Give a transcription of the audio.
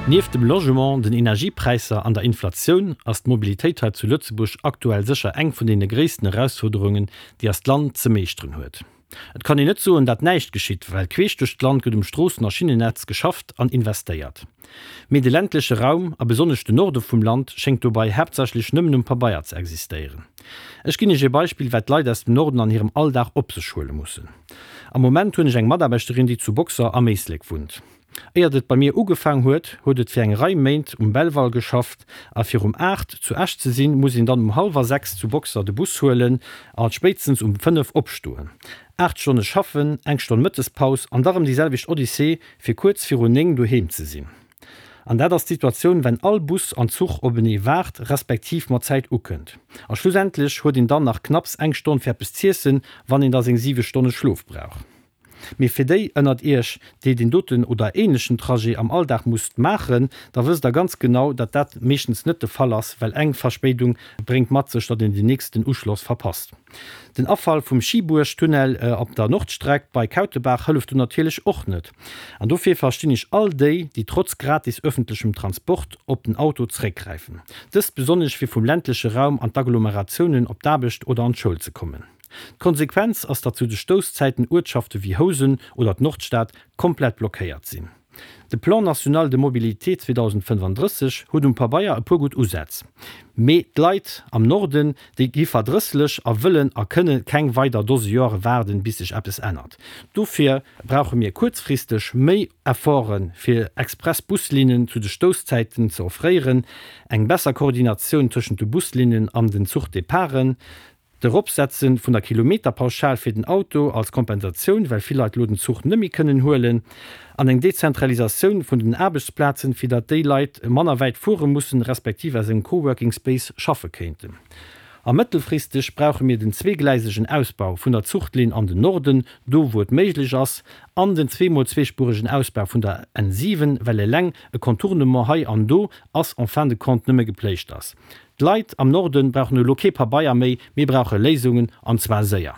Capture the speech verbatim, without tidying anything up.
Nieft dem Logement, den Energiepräisser an der Inflatioun ass d'Mobilitéit hei zu Lëtzebuerg aktuell sécher eng vun deene gréissten Erausfuerderungen, déi eist Land ze meeschteren huet. Et kann een net soen, dat näischt geschitt, well queesch duerch d'Land gëtt um Stroossen a Schinnennetz geschafft an investéiert. Mee de ländleche Raum, a besonnesch den Norde vum Land, schéngt dobei haaptsächlech nëmmen um Pabeier ze existéieren. Ech ginn Iech ee Beispill, wat d'Leit aus dem Norden an hirem Alldag op sech huele mussen. Am Moment hunn ech eng Mataarbechterin, déi zu Boxer am Éislek wunnt. Éiert et bei mir ugefaang huet, huet et fir eng Rei Méint um Belval geschafft a fir um aacht zu Esch ze sinn, muss een dann um hallwer sechs zu Boxer de Bus huelen a spéitstens um fënnef opstoen. Aacht Stonne schaffen, eng Stonn Mëttespaus an da rëm déi selwecht Odyssee, fir kuerz virun néng doheem ze sinn. An dat ass d'Situatioun, wenn all Bus an Zuch openee waart, respektiv mat Zäit ukënnt. A schlussendlech huet een dann nach knapps eng Stonn fir eppes z'iessen, wann een da seng siwe Stonne Schlof brauch. Mee fir déi ënnert Iech, déi deen doten oder ähnlechen Trajet am Alldag musst maachen, da wësst Der ganz genau, datt dat meeschtens net de Fall ass, well eng Verspéidung bréngt mat sech, datt een den nächsten Uschloss verpasst. Den Afall vum Schiebuerg-Tunnel op der Nordstreck bei Kautebaach hëlleft do natierlech och net. An dofir verstinn ech all déi, déi trotz gratis ëffentlechem Transport op den Auto zeréckgräifen. Dëst besonnesch fir vum ländleche Raum an d'Agglomeratiounen op d'Aarbecht oder an d'Schoul ze kommen. D'Konsequenz ass, datt zu de Stousszäiten Uertschafte wéi Housen oder d'Nordstad komplett blockéiert sinn. De Plan national de mobilité zweedausendfënnefandrësseg huet um Pabeier e puer gutt Usätz. Mee d'Leit am Norden, déi gi verdrësslech a wëllen a kënne keng weider Dose Joere waarden, bis sech eppes ännert. Dofir brauche mir kuerzfristeg méi Efforte fir Express-Buslinnen zu de Stousszäiten ze offréieren, eng besser Koordinatioun tëschent de Buslinnen an den Zuchdeparten, D'Eropsetze vun der Kilometerpauschal fir den Auto als Kompensatioun, well vill Leit elo den Zuch net méi kënnen huelen, an eng Dezentralisatioun vun den Aarbechtsplazen, fir datt déi Leit manner wäit fuere mussen, respektiv aus engem Coworking Space schaffe kéinten. A mëttelfristeg brauche mir den zweegleisegen Ausbau vun der Zuchtlinn an den Norden, do wou et méiglech ass, an den zweemol-zweespuregen Ausbau vun der N siwen, well eleng e Contournement hei an do ass en fin de compte nëmme Gepléischters. D'Leit am Norden brauchen elo kee Pabeier méi, mir brauche Léisungen, an zwar séier.